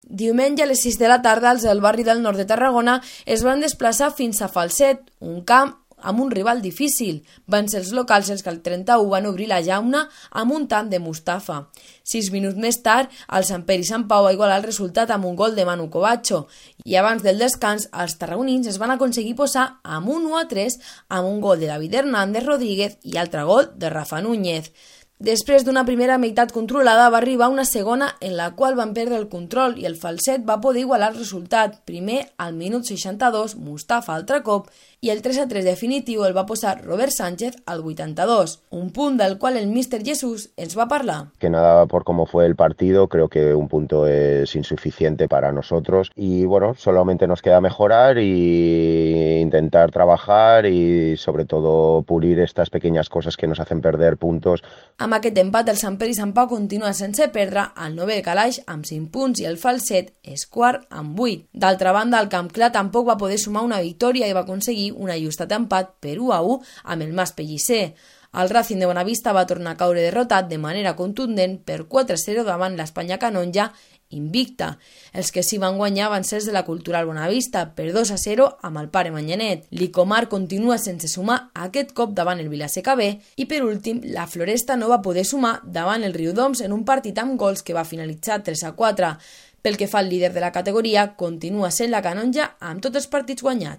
Diumenge a les 6 de la tarda, els del barri del nord de Tarragona es van desplaçar fins a Falset, un camp amb un rival difícil. Van ser els locals els que al 31 van obrir la llauna amb un tant de Mustafa. 6 minuts més tard, el Sant Pere i Sant Pau va igualar el resultat amb un gol de Manu Covacho i abans del descans, els tarragonins es van aconseguir posar amb un 1-3 amb un gol de David Hernández Rodríguez i altre gol de Rafa Núñez. Després d'una primera meitat controlada, va arribar una segona en la qual van perdre el control i el Falset va poder igualar el resultat. Primer, al minut 62, Mustafa altre cop, i el 3-3 definitiu el va posar Robert Sánchez al 82, un punt del qual el míster Jesús ens va parlar. Que nada por cómo fue el partido, creo que un punto es insuficiente para nosotros y bueno, solamente nos queda mejorar y intentar trabajar y sobre todo pulir estas pequeñas cosas que nos hacen perder puntos. Amb aquest empat, el Sant Pere i Sant Pau continua sense perdre, al 9è calaix amb 5 punts i el Falset és quart amb 8. D'altra banda, el Camp Clar tampoc va poder sumar una victòria i va aconseguir un ajustat empat per 1-1 amb el Mas Pellicer. El Racing de Bonavista va tornar a caure derrotat de manera contundent per 4-0 davant l'Espanya Canonja invicta. Els que s'hi van guanyar van ser els de la Cultural Bonavista per 2-0 amb el Pare Manyanet. L'Icomar continua sense sumar aquest cop davant el Vilaseca B i per últim la Floresta no va poder sumar davant el Riudoms en un partit amb gols que va finalitzar 3-4. Pel que fa al líder de la categoria, continua sent la Canonja amb tots els partits guanyats.